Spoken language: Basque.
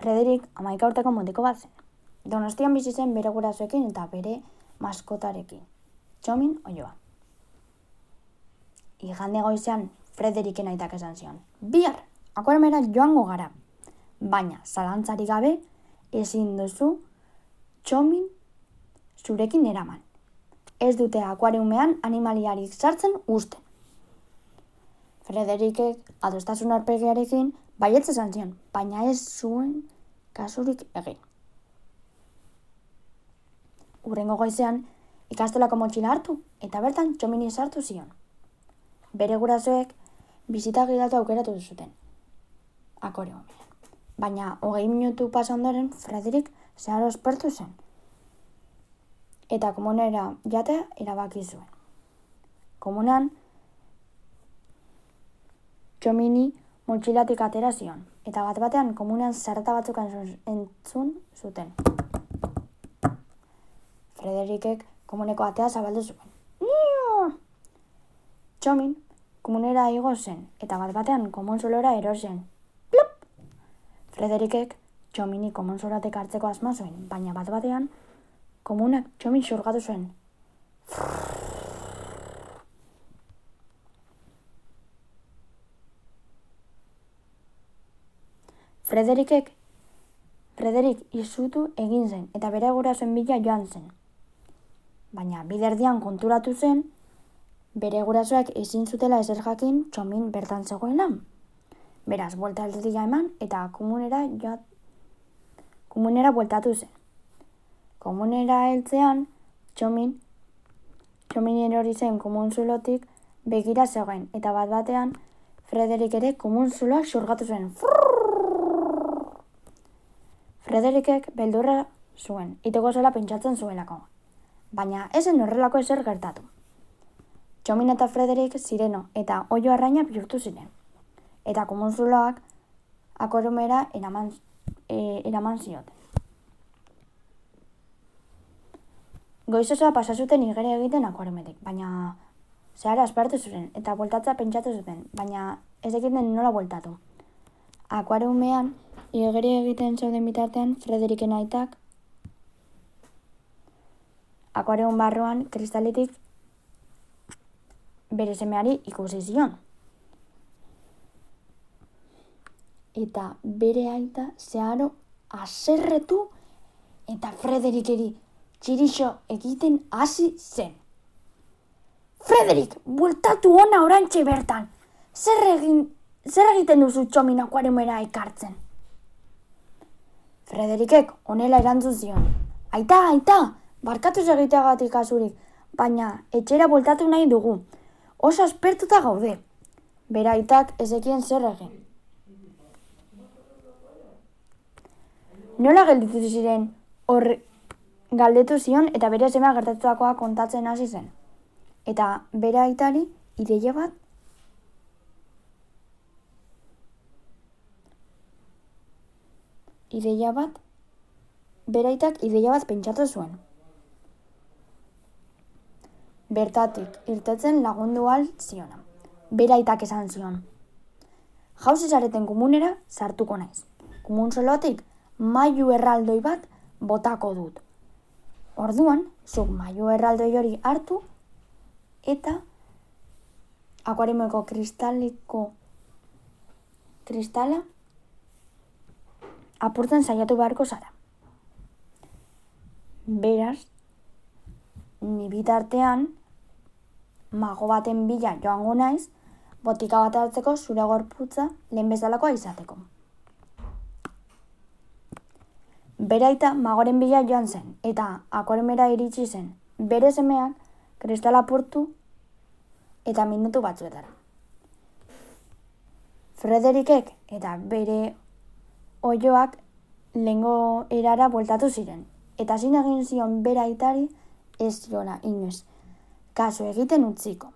Frederik 11 urteko mutiko bat zen. Donostian bizi zen bere gurasoekin eta bere maskotarekin, Txomin Oioa. Igande goizean Frederiken aitak esan zion: "Bihar akuariumera joango gara, baina zalantzarik gabe ezin duzu Txomin zurekin eraman. Ez dute akuariumean animaliarik sartzen uzten." Frederikek adostasun aurpegiarekin baietz esan zion, baina ez zuen kasurik egin. Hurrengo goizean ikastolako motxila hartu eta bertan Txomini sartu zion. Bere gurasoek bisita gidatu aukeratu zuten akuariumean. Baina 20 minutu pasa ondoren Frederik zeharo aspertu zen eta komunera jatea erabaki zuen. Komunan Txomini motxilatik atera zion eta bat-batean komunean zarata batzuk entzun zuten. Frederikek komuneko atea zabaldu zuen. Txomin komunera igo zen eta bat-batean komunzulora erosen. Plop! Frederikek Txomini komunzulatek hartzeko asma zuen, baina bat-batean komunak Txomin xurgatu zuen. Frederik izutu egin zen eta bere gurasoen bila joan zen. Baina biderdian konturatu zen bere gurasoak ezin zutela ezer jakin Txomin bertan zegoela. Beraz, buelta aldetik eman eta komunera bueltatu zen. Komunera heltzean Txomin erori zen komunzulotik begira zegoen eta bat-batean Frederik ere komunzuloak xurgatu zen. Frederikek beldurra zuen, iteko zela pentsatzen zuelako, baina ez zen horrelako ezer gertatu. Txomin eta Frederik sireno eta oio arraina bihurtu ziren, eta komunzuloak akuariumera eraman zioten. Goiz osoa pasa zuten igere egiten akuariumetik, baina zeharo aspertu ziren eta bueltatzea pentsatu zuten, baina ez ekiten nola bueltatu. Akuariumean igeri egiten zeuden bitartean Frederiken aitak akuarium barruan kristaletik bere semeari ikusi zion. Eta bere aita zeharo haserretu eta Frederikeri txirixo egiten hasi zen. "Frederik, bueltatu hona orantxe bertan! Zer egiten duzu Txomin akuariumera ekartzen?" Frederikek honela erantzun zion: Aita, barkatu egiteagatik kasurik, baina etxera bueltatu nahi dugu. Oso aspertuta gaude." Bere aitak ez zekien zer egin. Nola gelditu ziren galdetu zion eta bere semea gertatutakoa kontatzen hasi zen. Eta bere aitari ideia bat bere aitak ideia bat pentsatu zuen. Bertatik irtetzen lagundu ahal ziona. Bere aitak esan zion: "Jauzi zareten komunera sartuko naiz. Komunzolotik mailu erraldoi bat botako dut. Orduan, zuk mailu erraldoi hori hartu eta akuariumeko kristala apurtzen saiatu beharko zara. Beraz, ni bitartean mago baten bila joango naiz, botika bat hartzeko zure gorputza lehen bezalakoa izateko." Bere aita magoren bila joan zen eta akuariumera iritsi zen. Bere semeak kristala apurtu eta minutu batzuetara. Frederikek eta bere oioak lehengo erara bueltatu ziren, eta zin egin zion bere aitari ez ziola inoiz kasu egiten utziko.